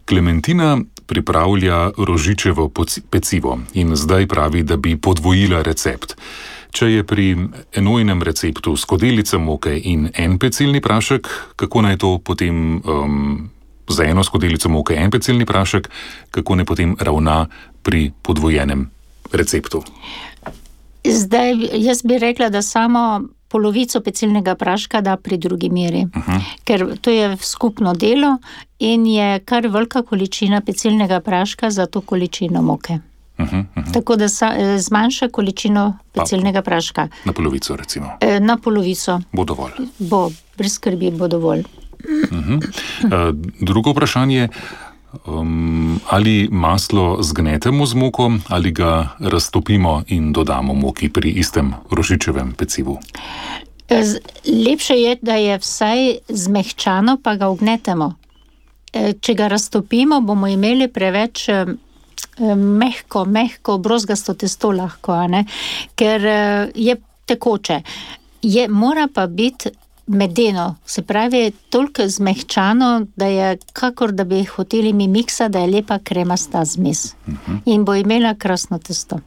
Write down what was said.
Klementina pripravlja rožičevo pecivo in zdaj pravi, da bi podvojila recept. Če je pri enojnem receptu skodelica moke in en pecilni prašek, kako naj to potem za eno skodelico moke en pecilni prašek, kako naj potem ravna pri podvojenem receptu? Zdaj, jaz bi rekla, da samo polovico pecilnega praška da pri drugi meri, ker to je skupno delo in je kar velika količina pecilnega praška za to količino moke. Tako da zmanjša količino pecilnega praška. Na polovico, recimo. Na polovico. Bo dovolj. Bo, brez skrbi bo dovolj. Drugo vprašanje, ali maslo zgnetemo z moko ali ga raztopimo in dodamo moki pri istem rožičevem pecivu? Lepše je, da je vsaj zmehčano, pa ga ugnetemo. Če ga raztopimo, bomo imeli preveč mehko, brozgasto testo lahko, ker je tekoče. Mora pa biti medeno, se pravi toliko zmehčano, da je kakor da bi hoteli mi miksa, da je lepa kremasta zmes. In bo imela krasno testo.